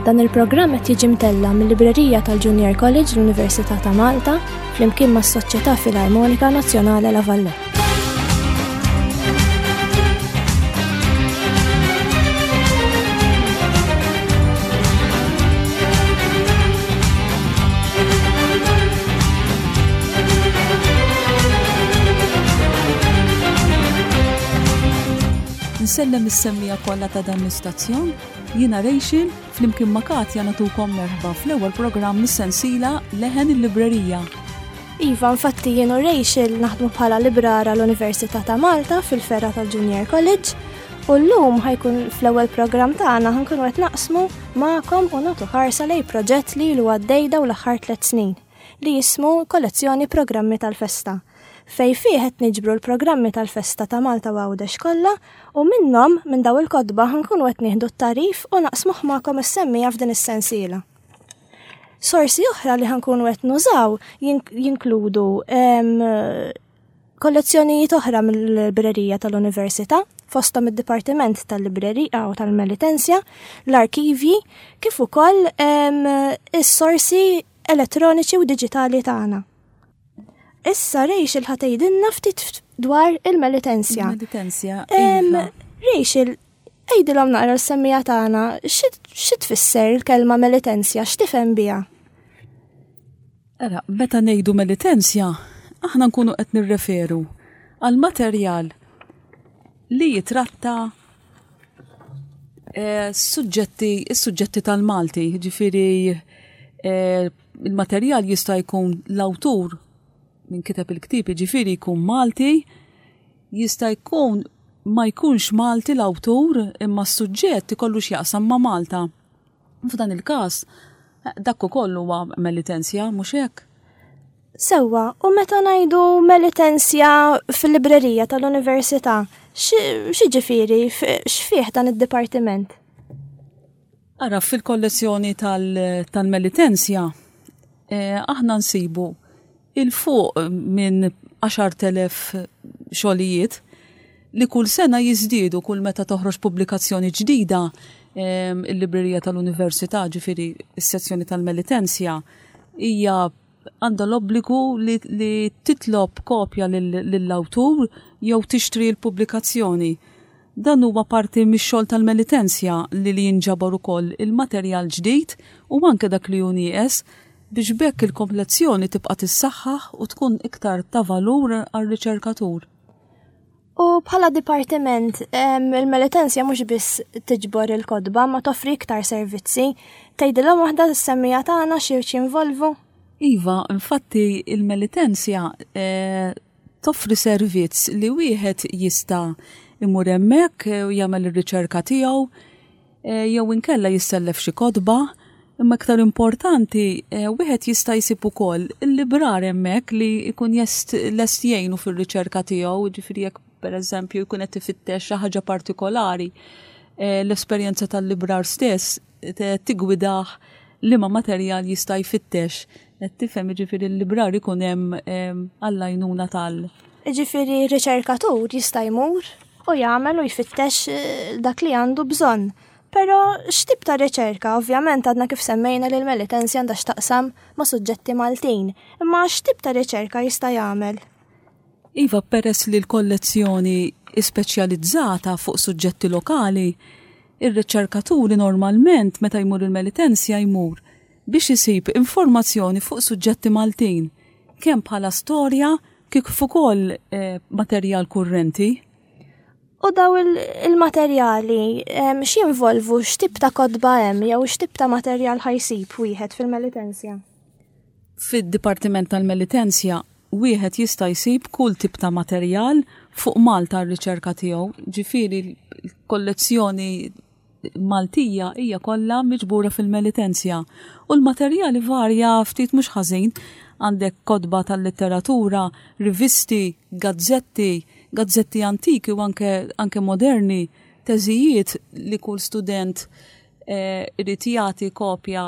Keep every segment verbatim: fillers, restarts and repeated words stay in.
Dan il-programm qed jiġi mtella mill-Librerija tal-Junior College l-Università ta' Malta flimkien mas-Soċjetà Filarmonika Nazzjonali La Valletta. Nsellem is-semmija kollha ta' dan l-istazzjon, jiena Rachel, flimkien ma' Katja natukom merħba fl-ewwel programm mis-sensiela Leħen il-Librerija. Iva, infatti jien u Rachel naħdmu bħala librara l-Università ta' Malta fil-ferra tal-Junior College u llum ħajkun fl-ewwel programm tagħna ħankunu qed naqsmu magħkom u nagħtu ħarsa lej proġett li ilu għaddej dawn l-aħħar tliet snin li jismu Kollezzjoni Programmi tal-Festa fej fih qed niġbru l-programmi tal-festa ta' Malta u Għawdex kollha u minnhom minn daw il-kotba ħankunu qed nieħdu t-tarif u naqsmuh magħkom is-semmija f'din is-sensiela. Sorsi oħra li ħankunu qed nużaw jinkludu kollezzjonijiet oħra mill-librerija tal-Università, fosthom id-Dipartiment tal-Librerija u tal-Melitensja, l-arkivji, kif ukoll is-sorsi elettroniċi u diġitali tagħna. Issa Rachel ħa tgħidilna ftit dwar il-Melitensja. Il-Melitensja. Iva. Rachel, għidilhom naqra s-semmija tagħna, xi tfisser il-kelma Melitensja, x'tifhem biha? Ara, meta ngħidu Melitensja, aħna nkunu qed nirreferu għal materjal li jitratta eh, suġġetti, is-suġġetti tal-Malti, ġifieri eh, il-materjal jista' jkun l-awtur min kiteb il-ktieb, ġifieri jkun Malti, jista' jkun ma jkunx Malti l-awtur imma s-suġġett ikollu x'jaqsam ma' Malta. F'dan il-każ, dak ukoll huwa Melitensja, mhux hekk? Sewwa, u meta ngħidu Melitensja fil-librerija tal-Università, x'jiġifieri, x'fih dan id-dipartiment? Ara, fil-kollezzjoni tal-Melitensja, eh, aħna nsibu il-fuq minn għaxart elef xogħlijiet li kull sena jiżdiedu kull meta toħroġ pubblikazzjoni ġdida, em, il-librerija tal-Università, ġifieri s-sezzjoni tal-Melitensja, hija għandha l-obbligu li, li titlob kopja lill-awtur jew tixtri l-pubblikazzjoni. Dan huwa parti mix-xogħol tal-Melitensja li li jinġabar ukoll il-materjal ġdid u anke dak li hu nieqes biex bekk il-kollezzjoni tibqa' tissaħħaħ u tkun iktar ta' valur għar-riċerkatur. U bħala dipartiment, em, il-Melitensja mhux biss tiġbor il-kotba, ma toffri iktar servizzi. Tgħidilhom waħda s-semmija tagħna xi jinvolvu? Iva, infatti il-Melitensja, eh, toffri servizz li wieħed jista' imur hemmhekk u jagħmel ir-riċerka tiegħu, eh, jew inkella jissellef xi kotba. Imma iktar importanti, eh, wieħed jista' jsib ukoll il-librar hemmhekk li jkun jest lest jgħinu fir-riċerka tiegħu, ġifieri jekk pereżempju jkun qed ifittex xi ħaġa partikolari, eh, l-esperjenza tal-librar stess tigwidah liema materjal jista' jfittex. Qed tifhem, ġifieri l-librar ikun hemm, ehm, għall-għajnuna tal. Ġifieri riċerkatur jista' jmur u jagħmel u jfittex, eh, dak li għandu bżonn. Però x'tip ta' riċerka? Ovvjament għadna kif semmejna li l-Melitensja għandha x'taqsam ma' suġġetti Maltin. Imma x'tip ta' riċerka jista' jagħmel? Iva, peress li l-kollezzjoni ispeċjalizzata fuq suġġetti lokali, ir-riċerkaturi normalment meta jmur il-Melitensja jmur biex isib informazzjoni fuq suġġetti Maltin, kemm bħala storja kif ukoll, eh, materjal kurrenti. U daw il-materjali, em, x'jinvolvu, x'tip ta' kotba hemm jew x'tip ta' materjal ħajsib wieħed fil-Melitensja? Fid-Dipartiment tal-Melitensja wieħed jista' jsib kull tip ta' materjal fuq Malta r-riċerka tiegħu, ġifieri l-kollezzjoni Maltija hija kollha miġbura fil-Melitensja u l-materjali varja ftit mhux ħażin. Għandek kotba tal-letteratura, rivisti, gazzetti, gazzetti antiki u anke, anke moderni, teżijiet li kull student, eh, irid jagħti kopja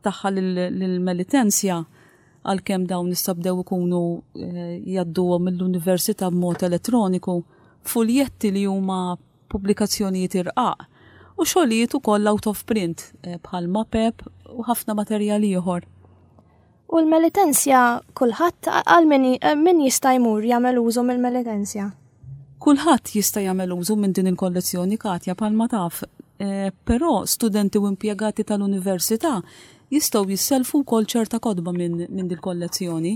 tagħha lill-Melitensja, għalkemm dawn issa bdew ikunu, eh, jgħadduhom mill-università b'mod elettroniku, fuljetti li huma pubblikazzjonijiet irqaq u u xogħlijiet ukoll out of print eh, bħal mapep u ħafna materjali ieħor. U l-Melitensja kulħadd għal min min jista' jmur jagħmel użu mill-Melitensja? Kulħadd jista' jagħmel użu minn din il-kollezzjoni, Katja, bħalma taf, eh, però studenti u impjegati tal-università jistgħu jisselfu wkoll ċerta kotba minn min din kollezzjoni.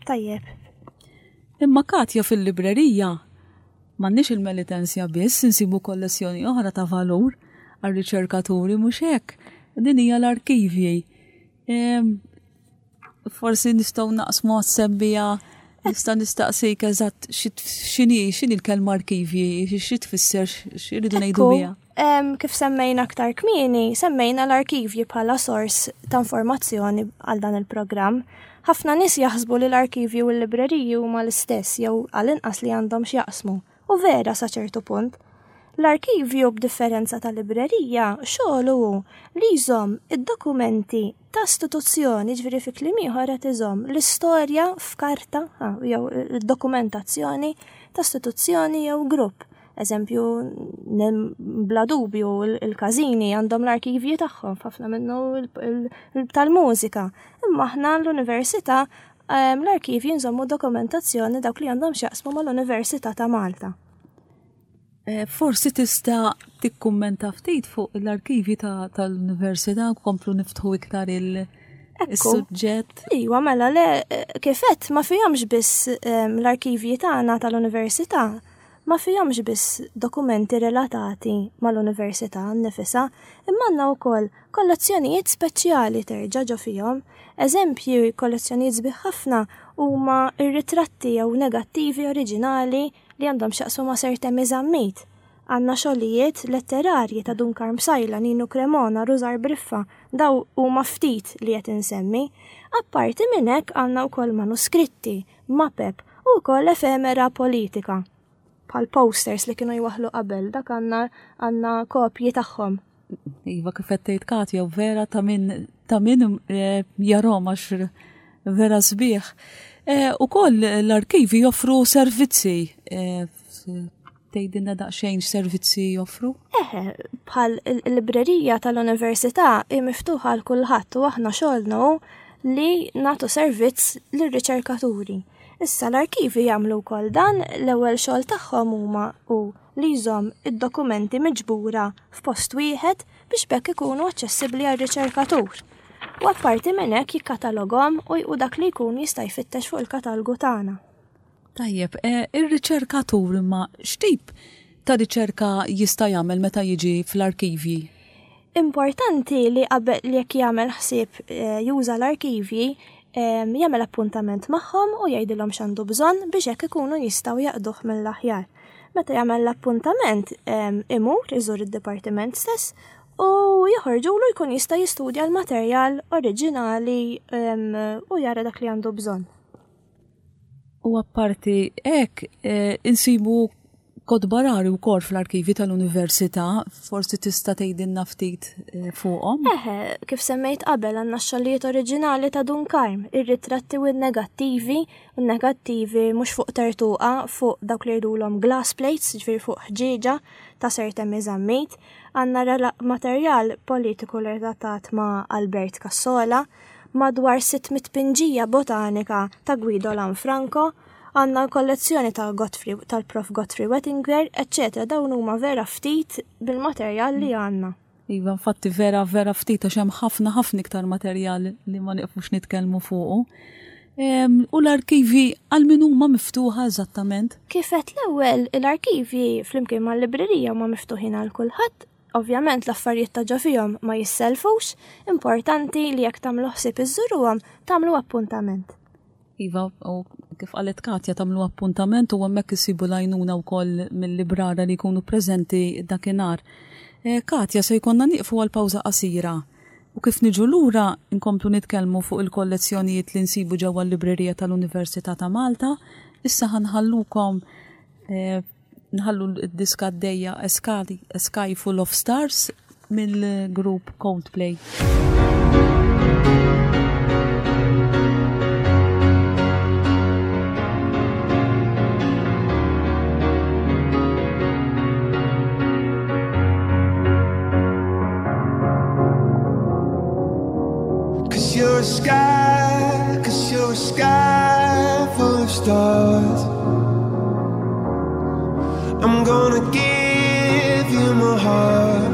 Tajjeb. Imma Katja, fil-librerija m'għandniex il-Melitensja biss, insibu kollezzjoni oħra ta' valur għar-riċerkaturi, mhux hekk? Din hija l-arkivji. Em, Forsi nistgħu naqsmu għas-semmiegħa, nista' nistaqsik eżatt x'inhi x'inhi l-kelma arkivji, xi tfisser, x'iridu ngħidu Ekku, biha. em, kif semmejna aktar kmieni, semmejna l-arkivji bħala sors ta' informazzjoni għal dan il-programm. Ħafna nies jaħsbu li l-arkivji u l-libreriji huma l-istess jew għall-inqas li għandhom x'jaqsmu. U vera sa ċertu punt. L-arkivju, b'differenza tal-librerija, xogħlu hu li jżomm id-dokumenti ta' istituzzjoni, ġifieri fi kliem ieħor qed iżomm l-istorja f'karta ah, jew id-dokumentazzjoni ta' istituzzjoni jew grupp. Eżempju, nem- bla dubju il- il-każini għandhom l-arkivji tagħhom, ħafna minnu il- il- tal-mużika. Imma aħna l-università em, l-arkivji nżommu dokumentazzjoni dawk li għandhom x'jaqsmu mal-Università ta' Malta. Eh, Forsi tista' tikkummenta ftit fuq l-arkivi ta- tal-università u komplu niftħu iktar il- Ekku. is-suġġett. Iwa, mela, le, eh, kifet, ma fihomx biss em, l-arkivji tagħna tal-università, ma fihomx biss dokumenti relatati mal-università nnifisha, imma għandna wkoll kollezzjonijiet speċjali terġa' ġo fihom. Eżempju, kollezzjonijiet sbieħ ħafna huma ir-ritratti jew negattivi oriġinali li għandhom x'jaqsmu ma' Sir Temi Zammit. Għandna xogħlijiet letterarji ta' Dun Karm Psaila, Ninu Cremona, Rużar Briffa, daw huma ftit li qed insemmi. Apparti minn hekk għandna wkoll manuskritti, mapep u wkoll efemera politika. Bħal posters li kienu jwaħlu qabel, dak għandna għandna kopji tagħhom. Iva, kif qed tgħid Katja, vera ta' min ta' min eh, jarahom għax vera sbieħ. Eh, Ukoll l-arkivi joffru servizzi. Eh, Tgħidilna daqsxejn x'servizzi joffru? Eħe, bħal il-librerija tal-università hi miftuħa għal kulħadd u aħna xogħolna hu li nagħtu servizz lir-riċerkaturi. Issa l-arkivi jagħmlu wkoll dan. L-ewwel xogħol tagħhom huma hu li jżomm id-dokumenti miġbura f'post wieħed biex bekk ikunu aċċessibbli għar-riċerkatur. U apparti minn hekk jikkatalogahom u u dak li jkun jista' jfittex fuq il-katalgu tagħna. Tajjeb, eh, ir-riċerkatur imma x'tip ta' riċerka jista' jagħmel meta jiġi fl-arkivji? Importanti li qabel li jekk jagħmel ħsieb eh, juża l-arkivji, em, jagħmel appuntament magħhom u jgħidilhom x'għandu bżonn biex hekk ikunu jistgħu jaqduh mill-aħjar. Meta jagħmel l-appuntament em, imur iżur id-dipartiment stess u joħorġulu jkun jista' jistudja l-materjal oriġinali em, u jara dak li għandu bżonn. U apparti hekk, eh, insibu kotba rari wkoll fl-arkivi tal-università, forsi tista' tgħidilna ftit eh, fuqhom. Eħe, kif semmejt qabel, għandna x-xogħlijiet oriġinali ta' Dun Karm, ir-ritratti u n-negattivi, u n-negattivi mhux fuq tertuqa, fuq dawk li jgħidulhom glass plates, ġifieri fuq ħġieġa ta' Sir Temi Zammit. Għandna rela- materjal politiku relatat ma' Albert Cassola, madwar sitt mitt pinġija botanika ta' Guido Lanfranco, għandna kollezzjoni ta' Godfrey, tal-Prof Godfrey Wettinger, eccetera. Dawn huma vera ftit bil-materjal li għandna. Iva, infatti vera vera ftit għax hemm ħafna ħafna iktar materjal li ma nieqfux nitkellmu fuqu. Em, U l-arkivi għal min huma miftuħa eżattament? Kif għedt l-ewwel, l-arkivi flimkien mal-librerija huma miftuħin għal kulħadd. Ovvjament l-affarijiet ta' ġo fihom ma jisselfux, importanti li jekk tagħmlu ħsieb iżżuruhom tagħmlu appuntament. Iva, u kif qalet Katja, tagħmlu appuntament u hemmhekk isibu l-għajnuna wkoll mill-librara li jkunu preżenti dakinhar. Eh, Katja, se jkollna nieqfu għal pawża qasira. U kif niġu lura nkomplu nitkellmu fuq il-kollezzjonijiet li nsibu ġewwa l-librerija tal-Università ta' Malta. Issa ħa nħallukom eh, nħallu d-diska għaddejja A Sky Full of Stars mill-grupp Coldplay. sky, cause you're a sky full of stars. I'm gonna give you my heart.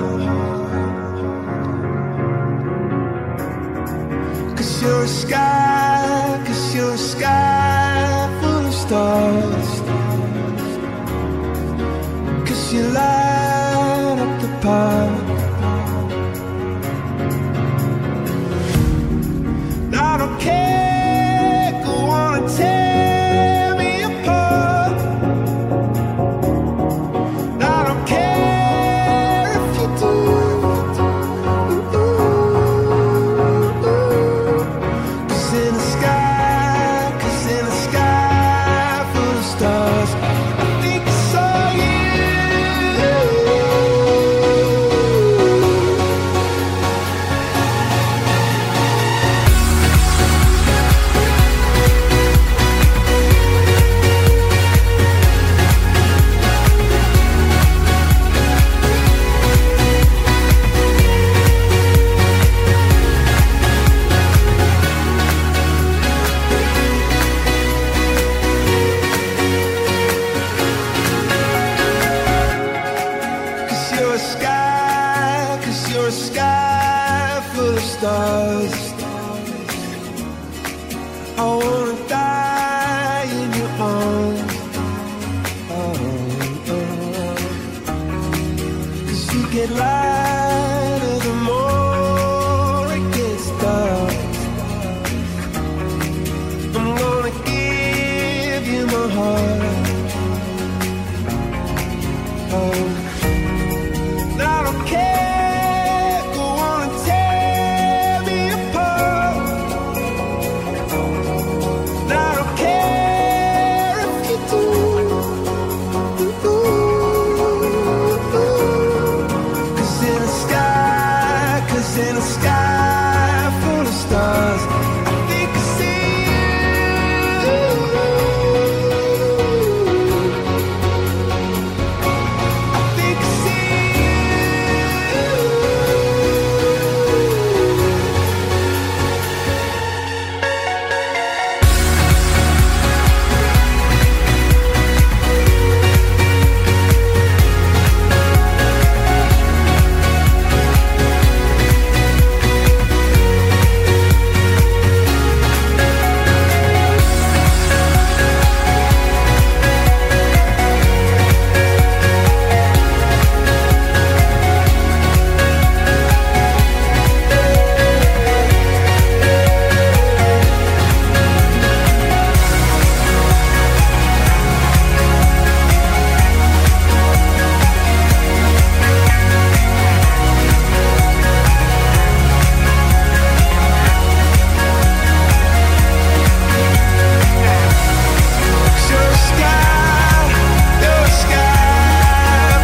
Cause you're a sky, cause you're a sky full of stars. Cause you light up the park. I don't care, go on and tear me apart. I don't care if you do. Cause in the sky, cause in the sky full of stars, I think I saw you. Cause you're a sky, cause you're a sky full of stars. I wanna die in your arms. Oh, oh. Cause you get lighter the more it gets dark. I'm gonna give you my heart. Oh. I don't care, go on and tear me apart. I don't care if you do. Cause in the sky, cause in the sky full of stars, I think I see you. I think I see you. Cause you're a sky, you're a sky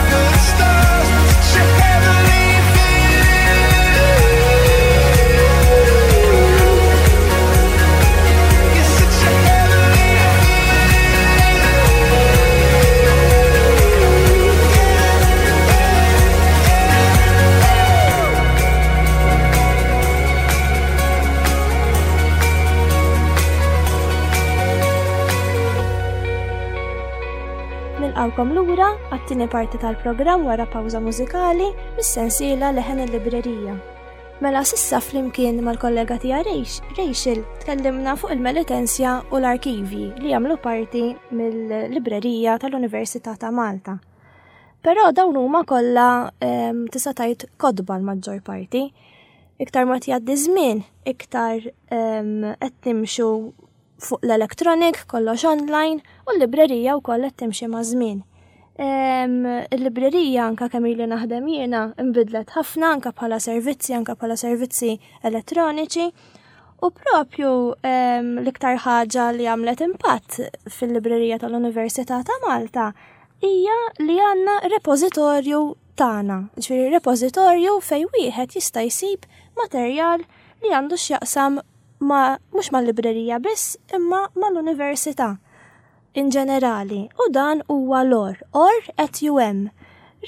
full of stars. Such a heavenly feeling. You're such a heavenly Nilqawkom lura għat-tieni parti tal-programm wara pawża mużikali mis-sensiela Leħen il-Librerija. Mela s'issa flimkien mal-kollega tiegħi Rachel tkellimna fuq il-Melitensja u l-arkivi li jagħmlu parti mill-librerija tal-Università ta' Malta. Però dawn huma kollha em, tista' tgħid kotba l-maġġor parti. Iktar ma tgħaddi żmien, iktar em, qed nimxu fuq l-electronic, kollox online, u l-librerija wkoll qed timxi ma' żmien. Em, Il-librerija anka kemm ili naħdem jiena nbidlet ħafna anka bħala servizzi, anka bħala servizzi elettroniċi. U propju em, l-iktar ħaġa li għamlet impatt fil-librerija tal-Università ta' Malta hija li għandna repożitorju tagħna, ġifieri repożitorju fejn wieħed jista' jsib materjal li għandu x'jaqsam ma mhux mal-librerija biss imma mal-università in ġenerali u dan huwa l-O R, O R at U M.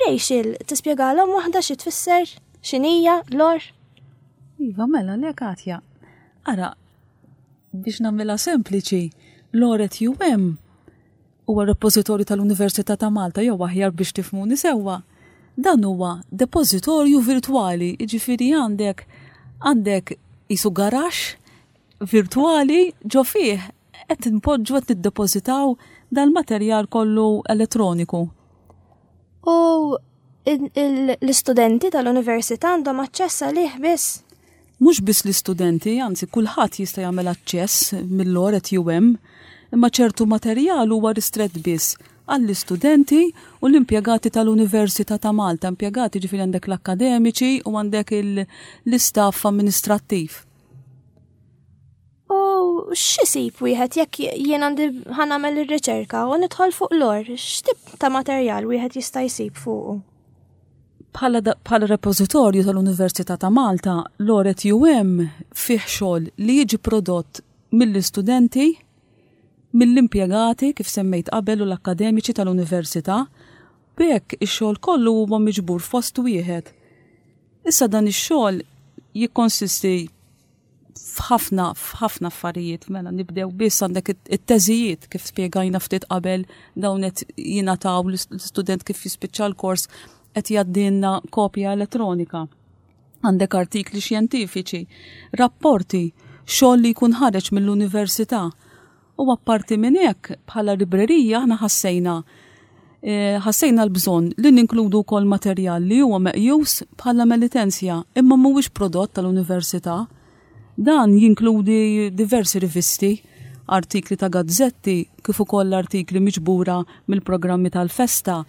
Rachel, tispjegalhom waħda xi tfisser x'inhija l-O R? Iva, mela, le Katja. Ara, biex nagħmilha sempliċi, l-O R at U M huwa repożitorju tal-Università ta' Malta, jew aħjar biex tifhmuni sewwa. Dan huwa depożitorju virtwali, jiġifieri għandek għandek qisu garaxx virtwali ġo fih qed npoġġu, qed niddepożitaw dal-materjal kollu elettroniku. U l-istudenti tal-università għandhom aċċess għalih biss? Mhux biss l-istudenti, anzi, kulħadd jista' jagħmel aċċess mill-O R at U M, imma ċertu materjal huwa ristrett biss għall-istudenti u l-impjegati tal-Università ta' Malta, impjegati ġifieri għandek l-akkademiċi u għandek l-istaff amministrattiv. U x'isib wieħed jekk jien għandi ħa nagħmel ir-riċerka u nidħol fuq l-O R, x'tip ta' materjal wieħed jista' jsib fuqu? Bħala repożitorju tal-Università ta' Malta, l-O R at U M fih xogħol li jiġi prodott mill-istudenti, mill-impjegati kif semmejt qabel u l-akkademiċi tal-università, b'hekk ix-xogħol kollu huwa miġbur fost wieħed. Issa dan ix-xogħol jikkonsisti f'ħafna f'ħafna affarijiet. Mela nibdew biss, għandek it-teżijiet, kif spjegajna ftit qabel, dawn qed jingħataw l-istudent kif jispiċċa l-kors, qed jgħaddilna kopja elettronika. Għandek artikli xjentifiċi, rapporti, xogħol li jkun ħareġ mill-università. U apparti minn hekk, bħala librerija aħna ħassejna eh, ħassejna l-bżonn li ninkludu wkoll materjal li huwa meqjus bħala Melitensia imma mhuwiex prodott tal-università. Dan jinkludi diversi rivisti, artikli ta' gazzetti, kif ukoll artikli miġbura mill-programmi tal-festa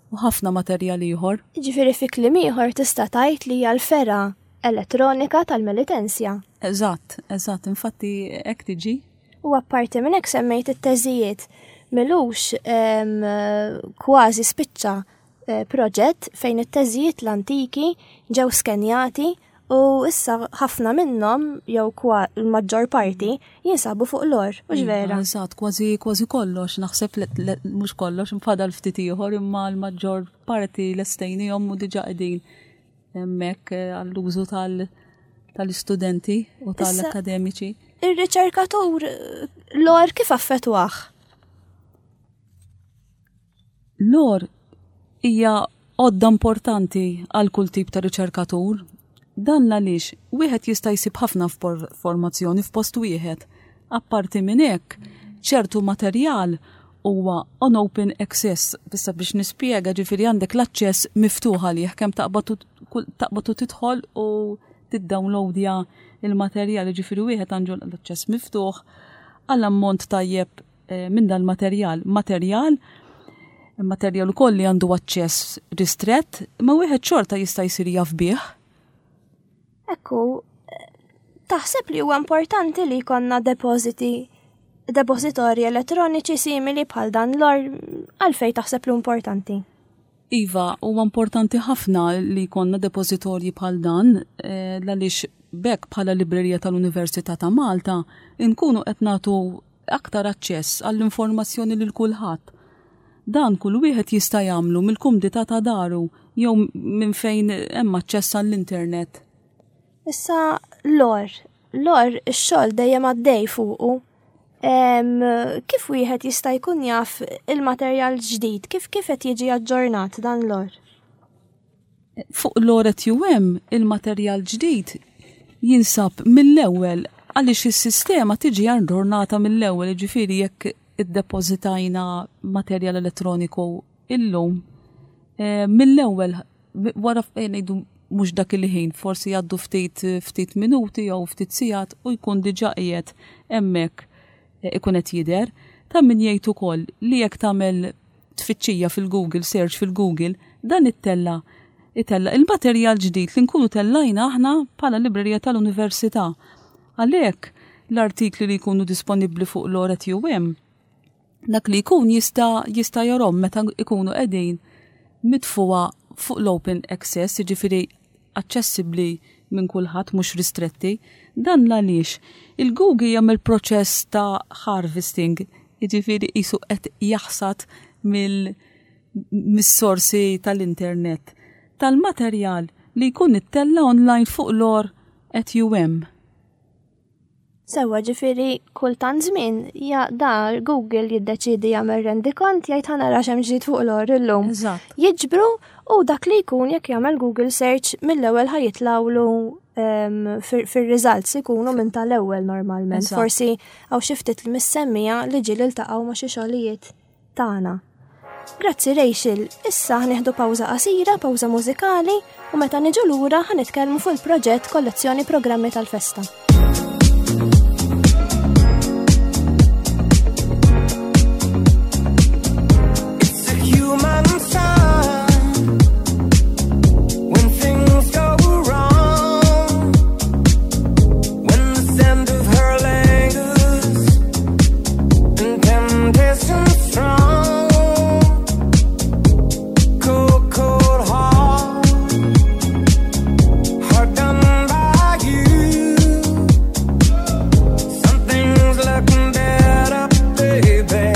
u ħafna materjal ieħor. Ġifieri fi kliem ieħor tista' tgħid li hija l-fergħa elettronika tal-Melitensia. Eżatt, eżatt, infatti hekk tiġi. U apparti minn hekk semmejt it-teżijiet. M'ilux kważi spiċċa eh, proġett fejn it-teżijiet l-antiki ġew skenjati u issa ħafna minnhom, jew l-maġġor parti, jinsabu fuq l-O R, u Iva, vera? Eżatt, kważi kważi kollox, naħseb, mhux kollox, fadal ftit ieħor, imma l-maġġor parti lestejnihom u diġà qegħdin hemmhekk eh, għall-użu tal-istudenti u tal-akademiċi. Ir-riċerkatur, l-O R kif affettwah? L-O R hija għodda importanti għal kull tip ta' riċerkatur. Dan għaliex wieħed jista' jsib ħafna informazzjoni f'post wieħed. Apparti minn hekk, ċertu materjal huwa on open access, bissa biex nispjega, ġifieri għandek l-aċċess miftuħ għalih, kemm taqbad u tidħol u tiddownloadja il-materjal, ġifieri wieħed għandu l-aċċess miftuħ għall ammont tajjeb eh, minn dal-materjal. Materjal materjal ukoll li għandu aċċess ristrett, ma wieħed xorta jista' jsir jaf bih. Ekku, taħseb li huwa importanti li jkollna depositi depozitorji elettroniċi simili bħal dan l-O R? Għalfej taħseb li importanti? Iva, huwa importanti ħafna li jkollna depozitorji bħal dan, eh, għaliex b'hekk bħala librerija tal-Università ta' Malta nkunu qed nagħtu aktar aċċess għall-informazzjoni lil kulħadd. Dan kull wieħed jista' jagħmlu mill-kumdità ta' daru jew minn fejn hemm aċċess għall-internet. Issa l-O R, l-O R ix-xogħol dejjem għaddej fuqu. Kif wieħed jista' jkun jaf il-materjal ġdid, kif kif qed jiġi aġġornat dan l-O R? Fuq l-O R at U M il-materjal ġdid jinsab mill-ewwel għaliex is-sistema tiġi aġġornata mill-ewwel, ġifieri jekk iddepożitajna materjal elettroniku illum, eh, mill-ewwel wara, eh, ngħidu mhux dak il-ħin, forsi jgħaddu ftit ftit minuti jew ftit sigħat u jkun diġà qiegħed hemmhekk, eh, ikun qed jidher. Ta' min jgħid ukoll li jekk tagħmel tfittxija fil-Google, search fil-Google, dan ittella itella il-materjal ġdid li nkunu tellajna aħna bħala librerija tal-università. Għalhekk l-artikli li jkunu disponibbli fuq l-O R at U M, dak li jkun jista' jista' jarahom meta ikunu qegħdin mitfuha fuq l-open access, jiġifieri aċċessibbli minn kulħadd, mhux ristretti. Dan għaliex il-Google jagħmel proċess ta' harvesting, jiġifieri qisu qed jaħsad mill mis-sorsi tal-internet tal-materjal li jkun ittella online fuq l-O R at U M. Sewwa, ġifieri kultant żmien ja da Google jiddeċidi jagħmel rendikont, jgħid ħa nara x'hemm ġdid fuq l-O R illum. Eżatt. Jiġbru u dak li jkun jekk jagħmel Google search mill-ewwel ħa jitlawlu em, fir- fir-results ikunu minn tal-ewwel normalment. Eżatt. Forsi hawn xi ftit li mis-semmija li ġieli ltaqgħu ma' xi xogħlijiet tagħna. Grazzi, Rachel, issa ħa nieħdu pawża qasira, pawża mużikali, u meta niġu lura ħa nitkellmu fuq il-proġett Kollezzjoni Programmi tal-Festa. It's a human sign when things go wrong, when the scent of her lingers and temptation strong. Cold, cold heart, hard done by you. Something's looking better, baby.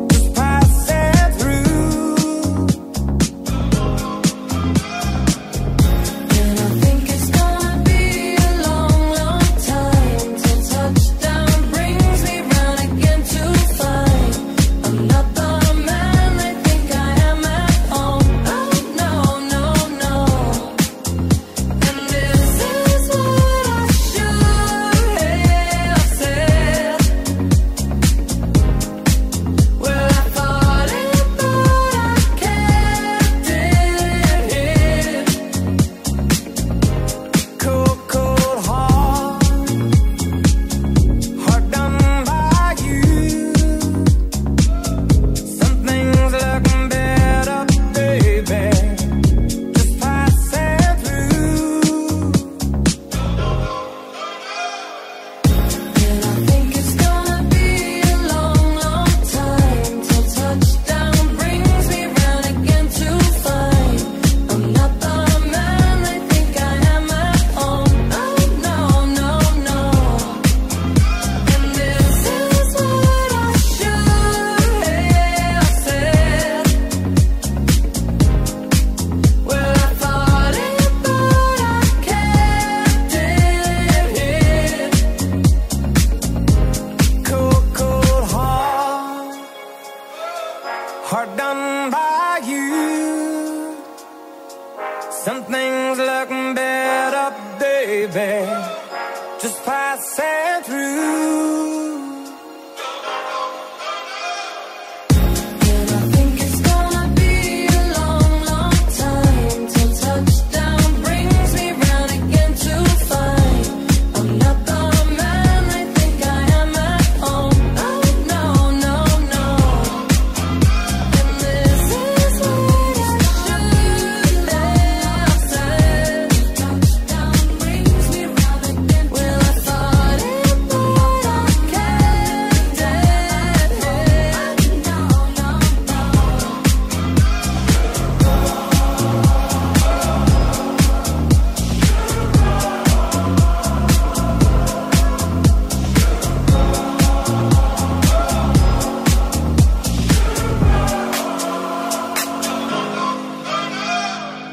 Just passing through. And I think it's gonna be a long, long time till touchdown brings me round again to find I'm not the man they think I am at home. Oh no, no, no. And this is what I should have said. Well, I thought it, but I kept it here. Cold, cold heart, hard done by you. Something's looking better, baby. Just passing through. And I think it's gonna be a long, long time till touchdown brings me round again to find I'm not the man they think I am at home. Oh no, no, no. And this is what I should have said. Well, I thought it, but I kept it here. Cold, cold heart, hard done by you. Something's looking better, baby. Just passing through. And I think it's gonna be a long, long time till touchdown brings me round again to find I'm not the man they think I am at home. Oh no, no, no. And this is what I should have said. Touchdown brings me round again. Well, I thought it, but I kept it here. No, no, no.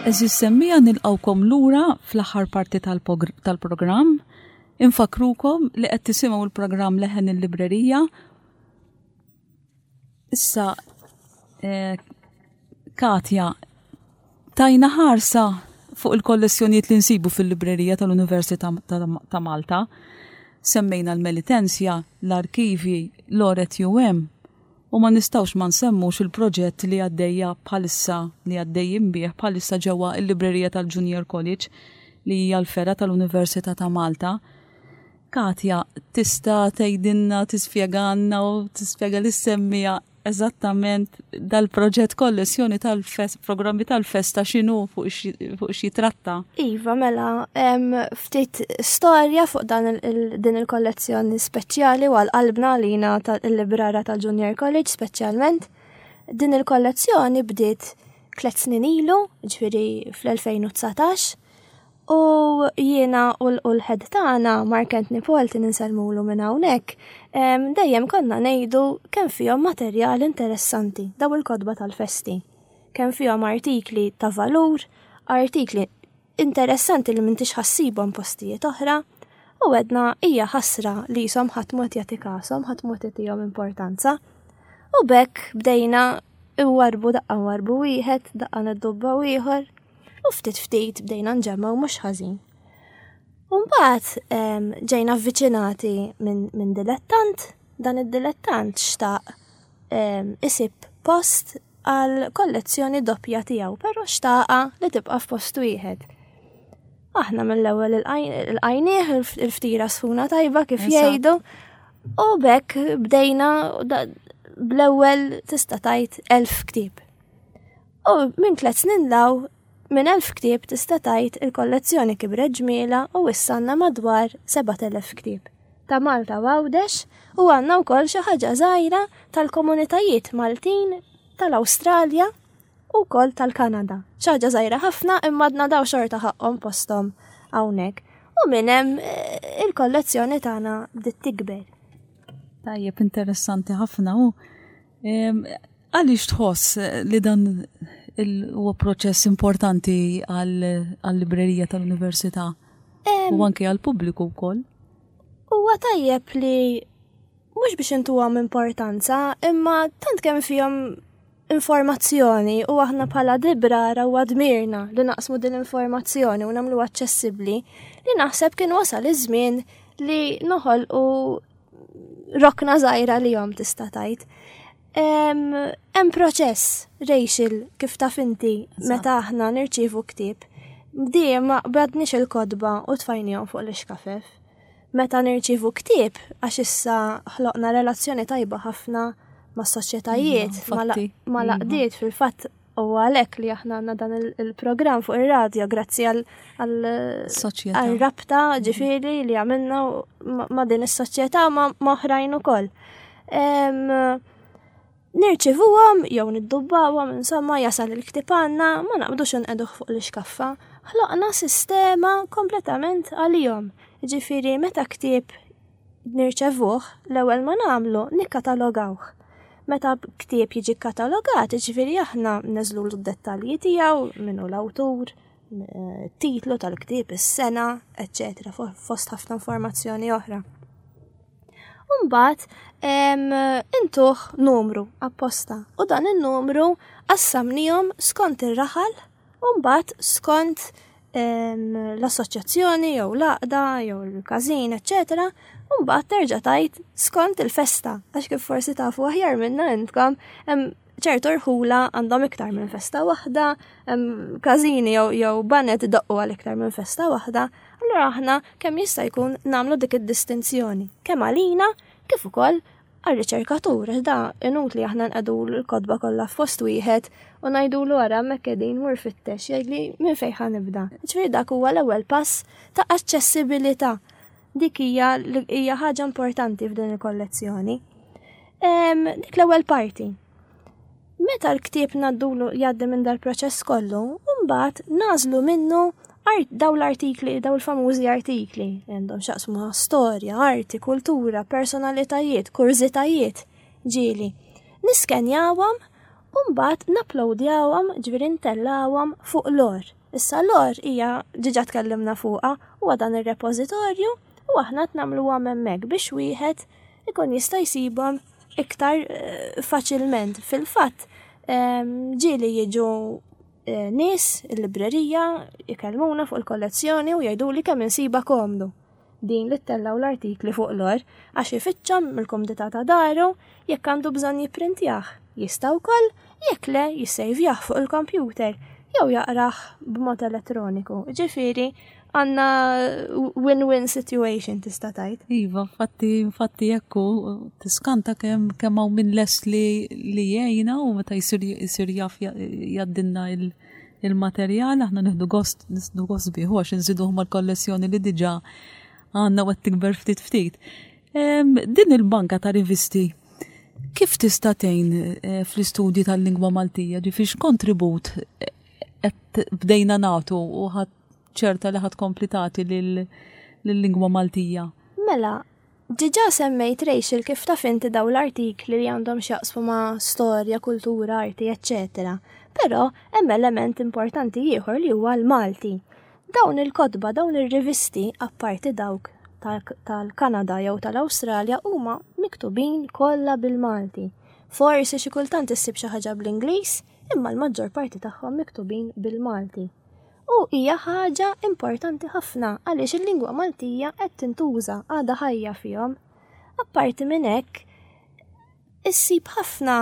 Għeżież semmiegħa, nilqgħukom lura fl-aħħar parti tal-pogr- tal-programm. Infakkrukom li qed tisimgħu l-programm Leħen il-Librerija. Issa, eh, Katja, tajna ħarsa fuq il-kollezzjonijiet li nsibu fil-librerija tal-Università ta' ta' Malta. Semmejna l-Melitensia, l-arkivi, l-Oret U M, u ma nistgħux ma nsemmux il-proġett li għaddejja bħalissa, li għaddejjin bih bħalissa ġewwa il-librerija tal-Junior College, li hija l-fergħa tal-Università ta' Malta. Katja, tista' tgħidilna, tispjegalna u tispjega lis-semmiegħa eżattament dal-proġett kollezzjoni tal-fest, programmi tal-festa, x'inhu, fuq xi- fuq xi tratta? Iva, mela, em, ftit storja fuq dan il, il, din il-kollezzjoni speċjali u għal-qalbna lina tal-librara tal-Junior College speċjalment. Din il-kollezzjoni bdiet tliet snin ilu, ġifieri fl-elfejn u dsatax, u jiena u l- u l-head tagħna, Mark Anthony Polti, insellmulu minn hawnhekk, em, dejjem konna ngħidu kemm fihom materjal interessanti daw il-kotba tal-festi. Kemm fihom artikli ta' valur, artikli interessanti li m'intix ħa ssibhom postijiet oħra, U għedna hija ħasra li jisom ħadd mod jagħti kashom, ħadd mod jagħtihom importanza. U b'hekk bdejna nwarrbu daqqa nwarrbu wieħed, daqqa niddubbaw ieħor, u ftit ftit bdejna nġemmgħu mhux ħażin. U mbagħad ġejna avviċinati minn min dilettant, dan id-dilettant xtaq isib post għal kollezzjoni doppja tiegħu, però xtaqa li tibqa' f'post wieħed. Aħna mill-ewwel ilqajnieh il-ftira sħuna tajba kif jgħidu, u b'hekk bdejna bl-ewwel tista' tgħid elf ktieb. U minn tliet snin 'l hawn minn elf ktieb tista' tgħid il-kollezzjoni kibret ġmiela u issa għandna madwar sebat elef ktieb ta' Malta u Għawdex u għandna wkoll xi ħaġa żgħira tal-komunitajiet Maltin tal-Awstralja u wkoll tal-Kanada. Xi ħaġa żgħira ħafna imma għadna daw xorta ħaqhom posthom hawnhekk. U minn hemm eh, il-kollezzjoni tagħna bdiet tikber. Tajjeb, interessanti ħafna u għaliex tħoss li dan huwa proċess importanti għal-librerija tal-università u anke għal-pubbliku wkoll? Huwa tajjeb li mhux biex intuhom importanza, imma tant kemm fihom informazzjoni u aħna bħala librara u dmirna li naqsmu din l-informazzjoni u nagħmlu aċċessibbli li naħseb kien wasal iż-żmien li noħolqu rokna żgħira li jom tista' tgħid. Hemm proċess, Rachel, kif taf inti meta aħna nirċievu ktieb. Dejjem ma qbadniex il-kotba u tfajnihom fuq l-ixkafef. Meta nirċievu ktieb, għax issa ħloqna relazzjoni tajba ħafna ma' soċjetajiet, ma' l-għaqdiet fil-fatt u għalhekk li aħna għandna dan il-programm fuq ir-radio grazzi għal-rabta ġifieri li għamilna ma' din is-soċjetà ma' oħrajn ukoll. Nirċivuhom jew niddubbawhom, insomma jasal il-ktieb għandna, ma naqbdux nqegħduh fuq l-iskaffa. Ħloqna sistema kompletament għalihom. Ġifieri meta ktieb nirċevuh, l-ewwel ma nagħmlu nikkatalogawh. Meta ktieb jiġi katalogat, ġifieri aħna neżlu d-dettalji tiegħu, minnu l-awtur, titlu tal-ktieb, is-sena, eċċetera, fost ħafna informazzjoni oħra. Umbagħad intuh numru apposta u dan il-numru qassamnihom skont ir-raħal u mbagħad skont l-assoċjazzjoni jew l-għaqda jew il-każin, eċċetera. U mbagħad terġa' tgħid skont il-festa, għax kif forsi tafu aħjar minna intkom, hemm ċertu rħula għandhom iktar minn festa waħda, hemm każini jew jew baned idoqqu għal iktar minn festa waħda, allura aħna kemm jista' jkun nagħmlu dik id-distinzjoni, kemm għalina kif ukoll għar-riċerkatur, għax da inutli aħna nqegħdu l-kotba kollha f'post wieħed u ngħidulu ara hemmhekk qegħdin mur fittex, jgħidli minn fejn ħa nibda. Ġifieri dak huwa l-ewwel pass ta' aċċessibilità. Dik hija hija ħaġa importanti f'din il-kollezzjoni. Dik l-ewwel parti. Meta l-ktieb ngħaddulu jgħaddi minn dal-proċess kollu, mbagħad nagħżlu minnu daw l-artikli, daw l-famużi artikli, għandhom x'jaqsmu storja, arti, kultura, personalitajiet, kurżitajiet, ġieli. Niskenjawhom u mbagħad napplowdjawhom, ġifieri ntellawhom fuq L O R. Issa L O R hija diġà tkellimna fuqha, huwa dan ir-repożitorju u aħna nagħmluhom hemmhekk biex wieħed ikun jista' jsibhom iktar eh, faċilment. Fil-fatt, ġieli jiġu eh, nies il-librerija jkellmuna fuq il-kollezzjoni u jgħidu li kemm insiba komdu din li ttellaw l-artikli fuq L O R għax ifittxhom mill-kumdità ta' daru jekk għandu bżonn jipprintjah. Jista' wkoll jekk le jissejvjah fuq il-kompjuter jew jaqrah b'mod elettroniku. Ġifieri għandna win-win situation tista' tgħid. Iva, infatti, infatti ekku, tiskanta kemm kemm hawn min lest li li jgħinna u meta jsir jsir jaf jgħaddilna il-materjal, aħna nieħdu gost nieħdu gost bih għax inżiduh mal-kollezzjoni li diġà għandna u qed tikber ftit ftit. Din il-banka ta' rivisti kif tista' tgħin eh, fl-istudji tal-lingwa Maltija, ġifieri x'kontribut qed bdejna nagħtu u ħadd ċerta li ħadd kompletati lill-lingwa Maltija? Mela, diġà semmejt Rachel kif taf inti daw l-artikli li għandhom x'jaqsmu ma' storja, kultura, arti, eċċetera. Però hemm element importanti ieħor li huwa l-Malti. Dawn il-kotba, dawn ir-rivisti, apparti dawk tal-Kanada jew tal-Awstralja huma miktubin kollha bil-Malti. Forsi xi kultant issib xi ħaġa bl-Ingliż, imma l-maġġor parti tagħhom miktubin bil-Malti. U hija ħaġa importanti ħafna għaliex il-lingwa Maltija qed tintuża, għadha ħajja fihom. Apparti minn hekk, issib ħafna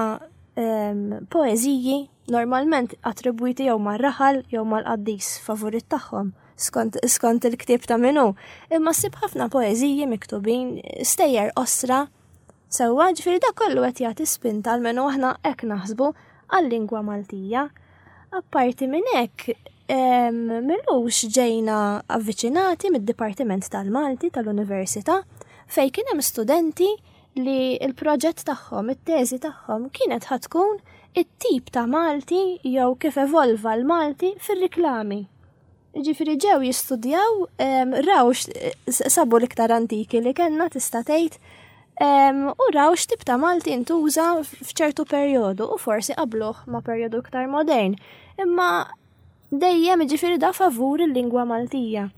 ehm, poeżiji normalment attribwiti jew mar-raħal jew mal-qaddis favorit tagħhom skont, skont il-ktieb ta' minnu. Imma ssib ħafna poeżiji miktubin, stejjer qosra, sewwa, ġifieri dak kollu qed jagħti spinta, almenu aħna hekk naħsbu, għal-lingwa Maltija. Apparti minn hekk, m'ilux ġejna avviċinati mid-Dipartiment tal-Malti tal-Università fejn kien hemm studenti li l-proġett tagħhom, it-teżi tagħhom kienet ħa tkun it-tip ta' Malti jew kif evolva l-Malti fir-riklami. Ġifieri ġew jistudjaw, raw sabu l-iktar antiki li kellna, tista' tgħid, u raw x'tip ta' Malti intuża f'ċertu perjodu u forsi qabluh ma' perjodu iktar modern. Imma dejjem, ġifieri, da favur il-lingwa Maltija.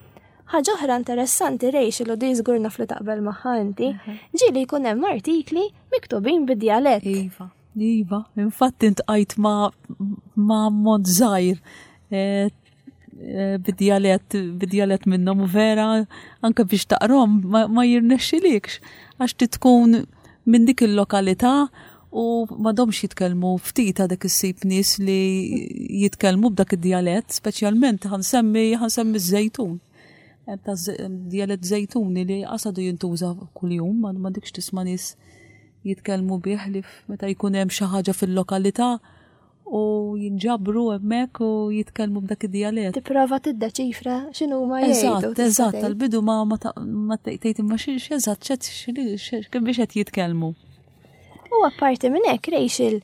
Ħaġa oħra interessanti, Rachel, u di żgur naf li taqbel magħha inti, ġieli jkun hemm artikli miktubin bid-djalett. Iva, iva, infatti iltqajt ma' ma' mod żgħir eh, eh, bid-djalett bid-djalett minnhom u vera anke biex taqrom ma, ma jirnexxilikx għax tkun minn dik il-lokalità u m'għadhomx jitkellmu, ftit għadek issib nies li jitkellmu b'dak id-djalett, speċjalment ħa nsemmi ħa nsemmi ż-Żejtun. Hemm ta' djalett Żejtuni li għadu jintuża kuljum, ma m'għadekx tisma' nies jitkellmu bih li meta jkun hemm xi ħaġa fil-lokalità u jinġabru hemmhekk u jitkellmu b'dak id-djalett. Tipprova tiddeċifra x'inhu ma jgħidu. Eżatt, eżatt, tal-bidu ma ma tgħid imma xi eżatt kif biex qed jitkellmu. U apparti minn hekk, Rachel,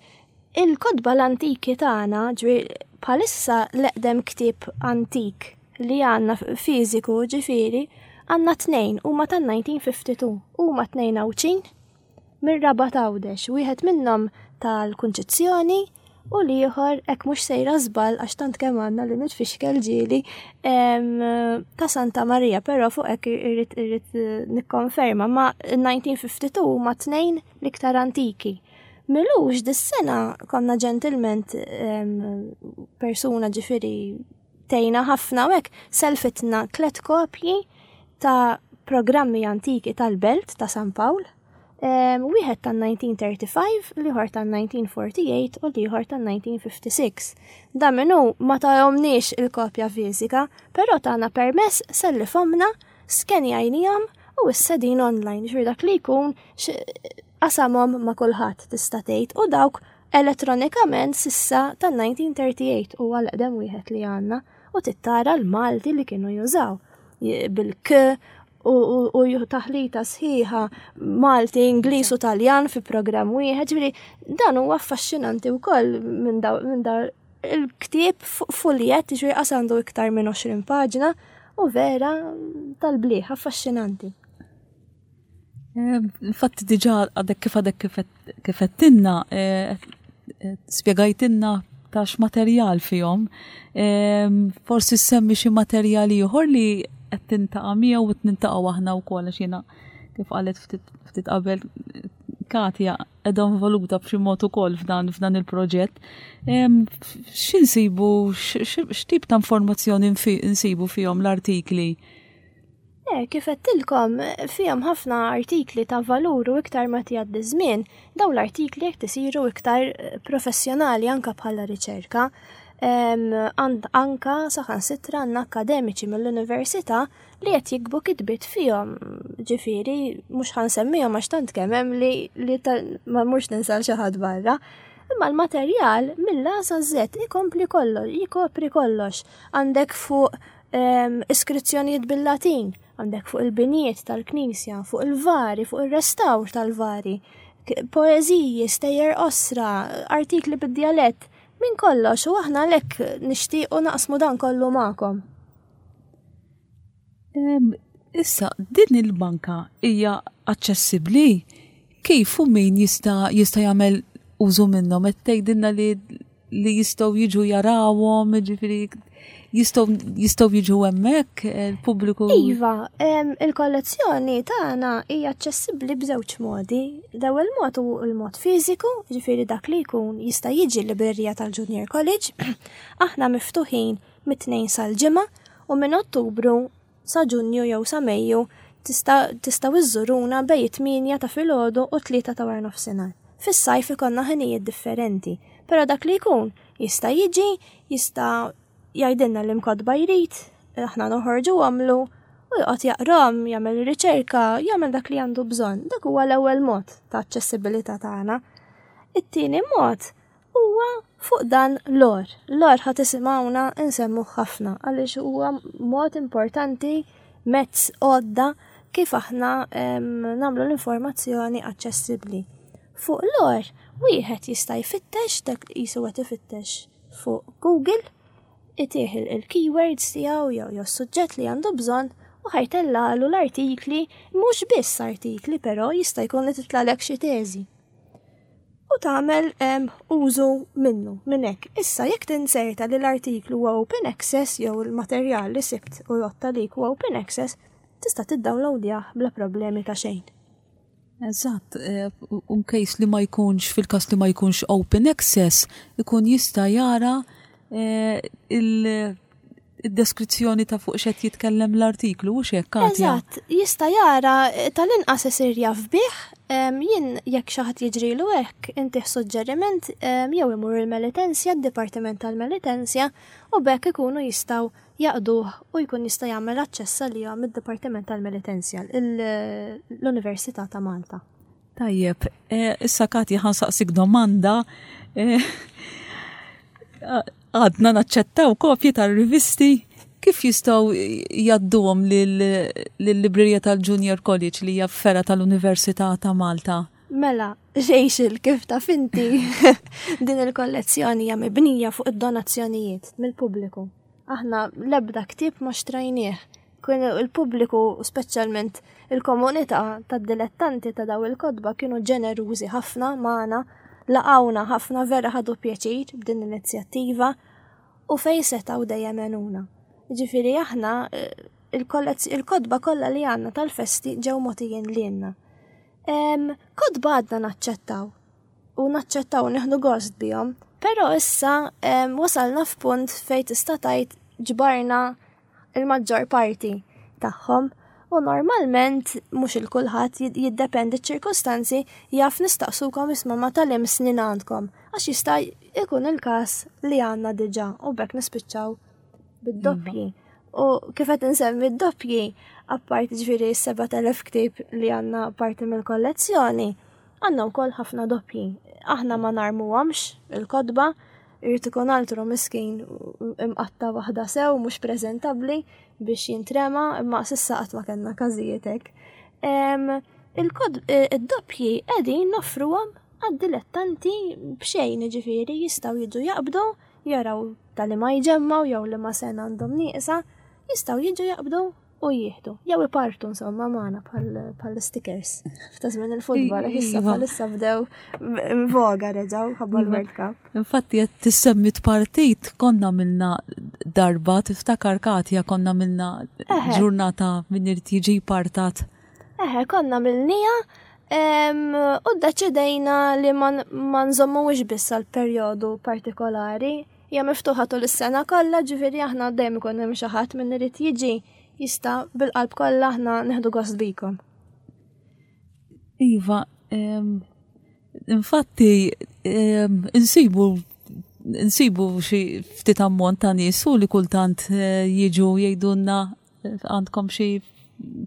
il-kotba l-antiki tagħna, ġifieri bħalissa l-eqdem ktieb antik li għandna fiżiku, ġifieri, għandna tnejn, huma tan-elf disa' mija u tnejn u ħamsin, huma tnejn Għawdxin mir-Rabat Għawdex, wieħed minnhom tal-Kunċizzjoni u l-ieħor, hekk mhux sejra żball għax tant kemm għandna li nitfixkel ġieli, ta' Santa Maria, però fuq hekk irrid irrid nikkonferma, ma elf disa' mija u tnejn u ħamsin huma tnejn l-iktar antiki. M'ilux dis-sena konna ġentilment persuna, ġifieri tgħinna ħafna u hekk, selfitna tlet kopji ta' programmi antiki tal-Belt ta' San Pawl. Wieħed tan-elf disa' mija u tletin u ħamsin, l-ieħor tan-elf disa' mija u erbgħa u tletin u l-ieħor tan-elf disa' mija u ħamsa u sittin. Da minnu ma tahomniex il-kopja fiżika, però tana permess, sellifhomlna, skenjajnihom u issa din online. Ġifieri dak li jkun qasamhom ma' kulħadd, tista' tgħid, u dawk elettronikament s'issa tan-elf disa' mija u tletin u għal-eqdem wieħed li għandna u tittara l-Malti li kienu jużaw bil-k u taħlita sħiħa Malti, Ingliż u Taljan fi programm wieħed, ġifieri dan huwa affaxxinanti wkoll minn daw il-ktieb fuljet, ġifieri qas għandu iktar minn għoxrin paġna u vera tal-bliħ, affaxxinanti. Infatti diġà għadek kif għadek kif għedtilna, spjegajtilna ta' x'materjal fihom. Forsi semmi xi materjali ieħor li qed tiltaqa' miegħu u niltaqgħu aħna wkoll, għax jiena, kif qalet ftit qabel Katja, qiegħda involuta b'xi mod ukoll f'dan f'dan il-proġett. X'insibu, x'tip ta' informazzjoni nsibu fihom l-artikli? Eh, kif għedtilkom, fihom ħafna artikli ta' valur u iktar ma tgħaddi żmien, daw l-artikli jekk isiru iktar professjonali anka bħala riċerka. Anka saħansitra għandna akademiċi mill-università li qed jiktbu kitbiet fihom, ġifieri mhux ħa nsemmihom għax tant kemm hemm li, li ma mhux ninsal xi ħadd barra. Imma l-materjal mill-A sa Z ikompli kollox, jikopri kollox. Għandek fuq iskrizzjonijiet bil-Latin, għandek fuq il-binijiet tal-Knisja, fuq il-vari, fuq il-restawr tal-vari, poeżiji, stejjer qosra, artikli bid-djalett, minn kollox, u aħna lek nixtiequ naqsmu dan kollu magħkom. Issa, din il-banka hija aċċessibbli? Kif u min jista' jista' jagħmel użu minnhom? Qed tgħidilna li li jistgħu jiġu jarawhom, ġifieri Jistgħu jistgħu jiġu hemmhekk il-pubbliku? Iva, il-kollezzjoni tagħna hija aċċessibbli b'żewġ modi. L-ewwel mod hu l-mod fiżiku, ġifieri dak li jkun jista' jiġi l-librerija tal-Junior College. Aħna miftuħin mit-Tnejn sal-Ġimgħa u minn Ottubru sa Ġunju jew sa Mejju tistgħu iżżuruna bejn it-tmienja ta' filgħodu u tlieta ta' wara nofsinhar. Fis-sajf ikollna ħinijiet differenti, però dak li jkun jista' jiġi, jista' jgħidilna liema kotba jrid, aħna noħorġu għamlu u joqgħod jaqrom, jagħmel riċerka, jagħmel dak li għandu bżonn. Dak huwa l-ewwel mod ta' aċċessibilità tagħna. It-tieni mod huwa fuq dan l-or. L-or ħa tisimgħuna nsemmu ħafna għaliex huwa mod importanti, mezz, għodda kif aħna nagħmlu l-informazzjoni aċċessibbli. Fuq l-or, wieħed jista' jfittex dak qisu qed ifittex fuq Google, itih il-keywords tiegħu jew jew suġġett li għandu bżonn u ħa jtellalu l-artikli, mhux biss artikli, però jista' jkun li titlalek xi teżi. U tagħmel użu minnu minn hekk. Issa jekk tinserta li l-artiklu huwa open access jew il-materjal li sibt u jotta lik huwa open access, tista' tiddownloadjah bla problemi ta' xejn. Eżatt, un case li ma jkunx, fil-kas li ma jkunx open access, ikun jista' jara il-deskrizzjoni ta' fuq x'qed jitkellem l-artiklu, u xek, Katja? Eżatt, jista' jara, tal-inqas isir jaf bih, jien jekk xi ħadd jiġrilu hekk, intih suġġeriment jew imur il-Melitensja, d-Dipartiment tal-Melitensja, u b'hekk ikunu jistgħu jaqduh u jkun jista' jagħmel aċċess għalihom id-Dipartiment tal-Melitensja, l-Università ta' Malta. Tajjeb, issa Katja ħa nsaqsik domanda. Għadna naċċettaw kopji tal-rivisti, kif jistgħu jgħadduhom lill-librerija tal-Junior College li hija fergħa tal-Università ta' Malta? Mela, Rachel, kif taf inti, din il-kollezzjoni hija mibnija fuq id-donazzjonijiet mill-pubbliku. Aħna l-ebda ktieb ma xtrajnieh. Kien il-pubbliku, speċjalment il-komunità tad-dilettanti ta' daw il-kotba, kienu ġenerużi ħafna magħna, laqawna ħafna, vera ħadu pjaċir b'din l-inizjattiva u fej setgħu dejjem għenuna. Ġifieri aħna il-kotba kollha li għandna tal-festi ġew mogħtijin lilna. Kotba għadna naċċettaw u naċċettaw, nieħdu gost bihom, però issa wasalna f'punt fejn tista' tgħid ġbarna il-maġġor parti tagħhom u normalment mhux il-kulħadd, jiddependi ċ-ċirkustanzi, jaf nistaqsukom, isma', ma tal-im snin għandkom, għax jista' jkun il-każ li għandna diġà u b'hekk nispiċċaw bid-doppji. U kif qed insemmi d-doppji, apparti ġifieri sebat elef ktieb li għandna parti mill-kollezzjoni, għandna wkoll ħafna doppji. Aħna ma narmuhomx il-kotba, irid ikun altru miskin imqatta waħda sew mhux preżentabbli biex jintrema, imma s'issa qatt ma kellna każijiet hekk. Il-doppji qegħdin noffruhom għad-dilettanti b'xejn, ġifieri jistgħu jiġu jaqbdu, jaraw tal ma jġemmaw jew li ma sena għandhom nieqsa, jistgħu jiġu jaqbdu u jieħdu. Jew ipartu insomma magħna bħal stickers. F'ta' żmien il-futbol, issa bħalissa bdew voga reġgħu ħabba l-World Cup. Infatti qed tissemmi partit, konna minna darba, tiftakar Katja, konna minna ġurnata minn irid jiġi partat. Eħe, konna milnija u ddeċidejna li ma nżommux biss għal perjodu partikolari, hija miftuħa tul is-sena kollha, ġifieri aħna dejjem ikun hemm xi ħadd min irid jiġi, jista' bil-qalb kollha, aħna neħdu gost bikom. Iva, infatti insibu insibu xi ftit ammont ta' nies u li kultant eh, jiġu jgħidulna eh, għandkom xi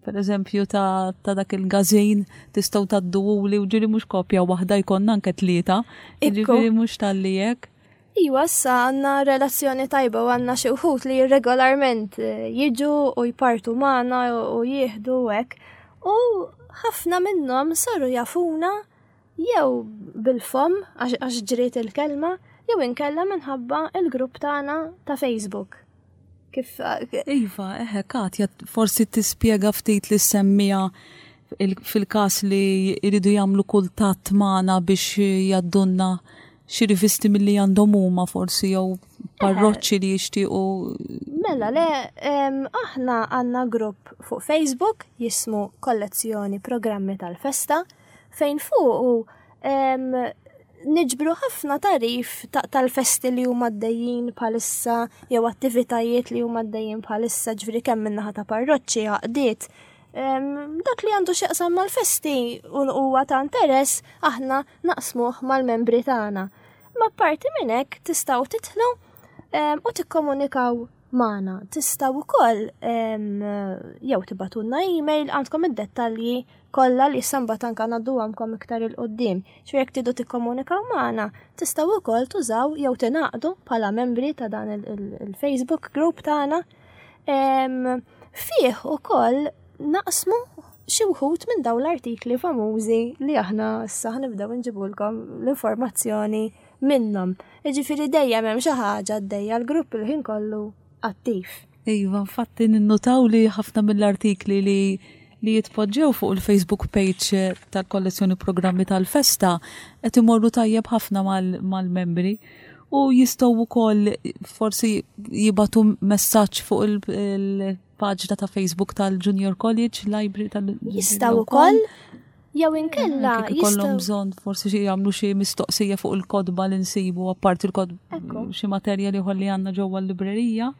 per eżempju ta', ta dak il-gazin tistgħu tgħadduhuli, u ġieli mhux kopja waħda, jkollna anke tlieta. Ġifieri mhux talli hekk. Iwa, issa għandna relazzjoni tajba u għandna xi wħud li regolarment eh, jiġu u jpartu magħna u jieħdu hekk. U ħafna minnhom saru jafuna jew bil-fom għax ġriet il-kelma jew inkella minħabba il-grupp tagħna ta' Facebook. Kif Iva, eħe, Katja, forsi tispjega ftit li semmija fil-każ li jridu jagħmlu kuntatt magħna biex jgħaddulna xi rivisti milli għandhom huma forsi jew Parroċċi li jixtiequ. Mela le, aħna għandna grupp fuq Facebook jismu Kollezzjoni Programmi tal-Festa, fejn fuq niġbru ħafna tagħrif tal-festi li huma għaddejjin bħalissa jew attivitajiet li huma għaddejjin bħalissa, ġifieri kemm min-naħa ta' parroċċi, għaqdiet. Dak li għandu x'jaqsam mal-festi u huwa ta' interess aħna naqsmuh mal-membri tagħna. Ma parti minn hekk tistgħu tidħlu u tikkomunikaw magħna. Tistgħu wkoll jew tibagħtulna email, għandkom id-dettalji kollha li issa mbagħad anke ngħadduhomkom iktar 'il quddiem. Ġifieri jekk tridu tikkomunikaw magħna, tistgħu wkoll tużaw jew tingħaqdu bħala membri ta' dan il-Facebook group tagħna. Fih ukoll naqsmu xi wħud minn dawn l-artikli famużi li aħna issa ħnibdew nġibulkom l-informazzjoni minnhom. Jiġifieri dejjem hemm xi ħaġa għaddejja, l-grupp il-ħin kollu attiv. Iva, infatti ninnutaw li ħafna mill-artikli li li jitpoġġew fuq il-Facebook page tal-kollezzjoni programmi tal-festa qed imorru tajjeb ħafna mal-membri u jistgħu wkoll forsi jibagħtu messaġġ fuq il-paġna ta' Facebook tal-Junior College Library tal- Jistgħu wkoll jew inkella Kif ikollhom bżonn forsi xi jagħmlu xi mistoqsija fuq il-kotba li nsibu apparti il-kotba xi materjali ieħor li għandna ġewwa l-librerija.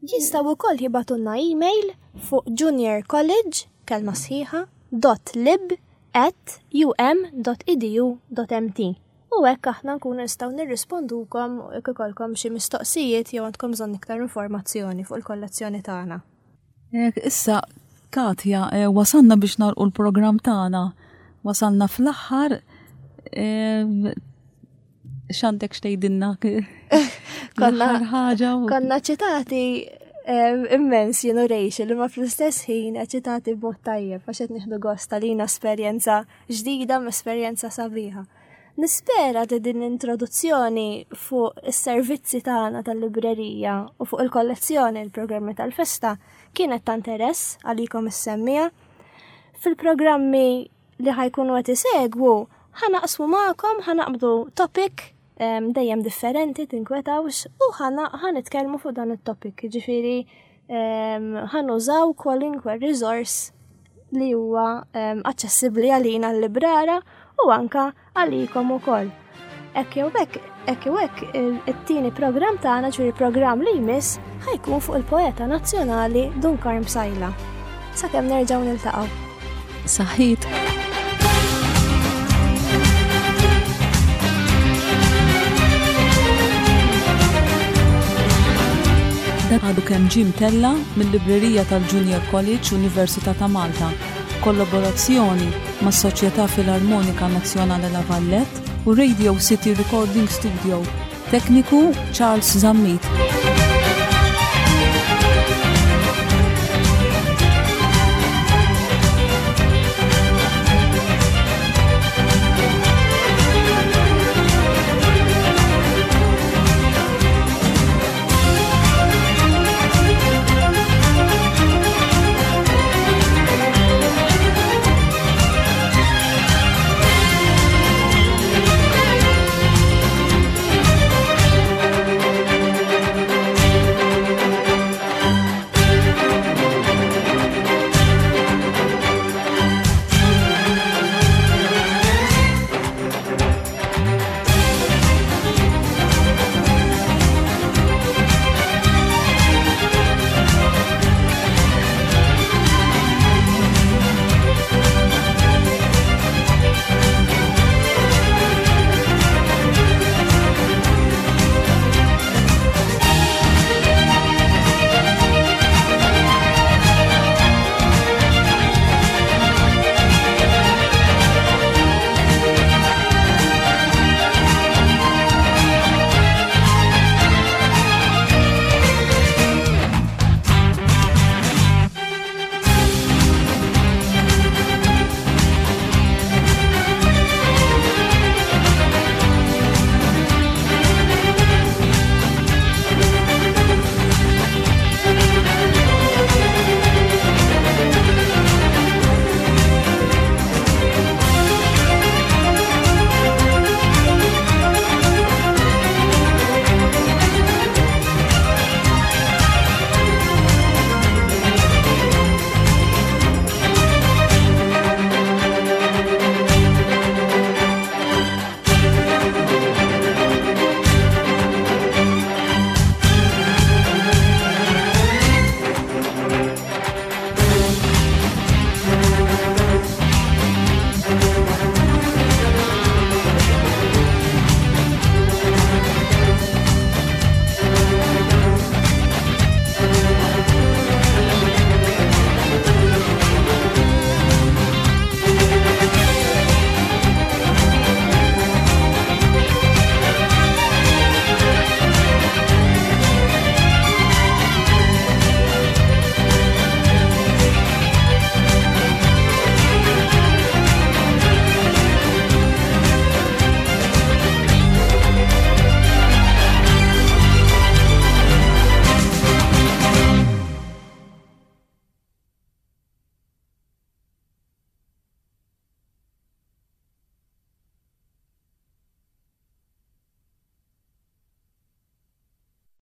Jistgħu wkoll jibagħtulna email fuq junior college kelma sħiħa dot lib at um dot e d u dot m t. U hekk aħna nkunu nistgħu nirrispondukom jekk ikollkom xi mistoqsijiet jew għandkom bżonn iktar informazzjoni fuq il-kollezzjoni tagħna. Issa, Katja, eh, wasalna biex nagħlqu l-programm tagħna. Wasalna fl-aħħar. Eh, x'għandek x'tgħidilna? Konna L-aħħar ħaġa u- Konna eċitati immens jien u Rachel, imma fl-istess ħin eċitati b'mod tajjeb għax qed nieħdu gost għalina esperjenza ġdida ma' esperjenza sabiħa. Nispera li din l-introduzzjoni fuq is-servizzi tagħna tal-librerija u fuq il-kollezzjoni il-programmi tal-festa kienet ta' interess għalikom is-semmiegħa. Fil-programmi li ħajkunu qed isegwu ħanaqsmu magħkom, ħanaqbdu topic em, dejjem differenti, tinkwetawx, u ħana ħanitkellmu fuq dan it-topic, ġifieri, em, ħanużaw kwalunkwe resource li huwa, em, aċċessibbli għalina l-librara u anka għalikom ukoll. Hekk jew hekk, hekk jew hekk, il-, it-tieni programm tagħna, ġifieri programm li jmiss, ħajkun fuq il-poeta nazzjonali Dun Karm Psaila. Sakemm nerġgħu niltaqgħu. Saħħit. Dan għadu kemm ġie mtella' mill-Librerija tal-Junior College Università ta' Malta, kollaborazzjoni mas-Soċjetà Filarmonika Nazzjonali La Vallette u Radio City Recording Studio. Tekniku Charles Zammit.